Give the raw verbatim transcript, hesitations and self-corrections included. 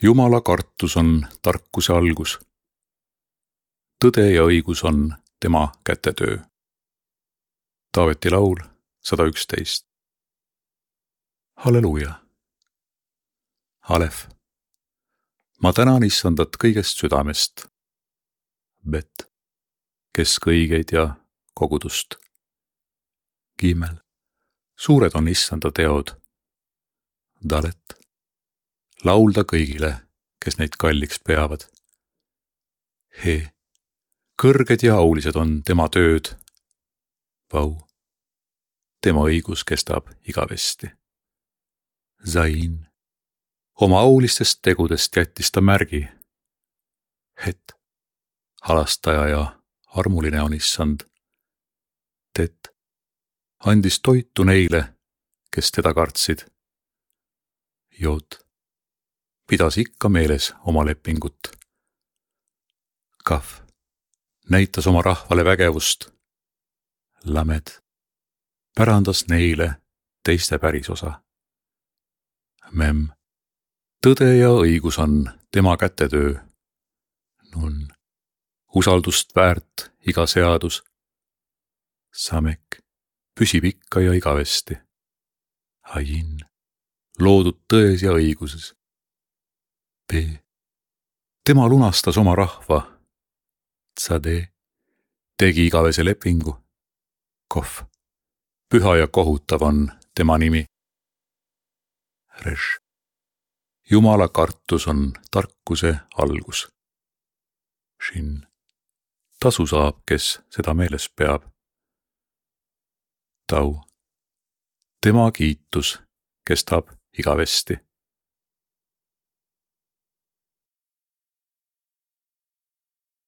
Jumala kartus on tarkuse algus. Tõde ja õigus on tema kätetöö. Taaveti laul sada üksteist. Halleluuja. Alef. Ma tänan issandat kõigest südamest. Bet. Kesk õigeid ja kogudust. Gimel. Suured on issanda teod. Dalet. Laulda kõigile, kes neid kalliks peavad. He. Kõrged ja aulised on tema tööd. Vau. Tema õigus kestab igavesti. Zain. Oma aulistest tegudest jättis ta märgi. Het. Halastaja ja armuline on issand. Tet. Andis toitu neile, kes teda kartsid. Jod. Pidas ikka meeles oma lepingut. Kaf. Näitas oma rahvale vägevust. Lamed. Pärandas neile teiste pärisosa. Mem. Tõde ja õigus on tema kätetöö. Nun. Usaldust väärt iga seadus. Samek. Püsib ikka ja igavesti. Ajin. Loodud tões ja õiguses. B. Tema lunastas oma rahva. Tsade. Tegi igavese lepingu. Kof. Püha ja kohutav on tema nimi. Reš. Jumala kartus on tarkuse algus. Shin. Tasu saab, kes seda meeles peab. Tau. Tema kiitus kestab igavesti.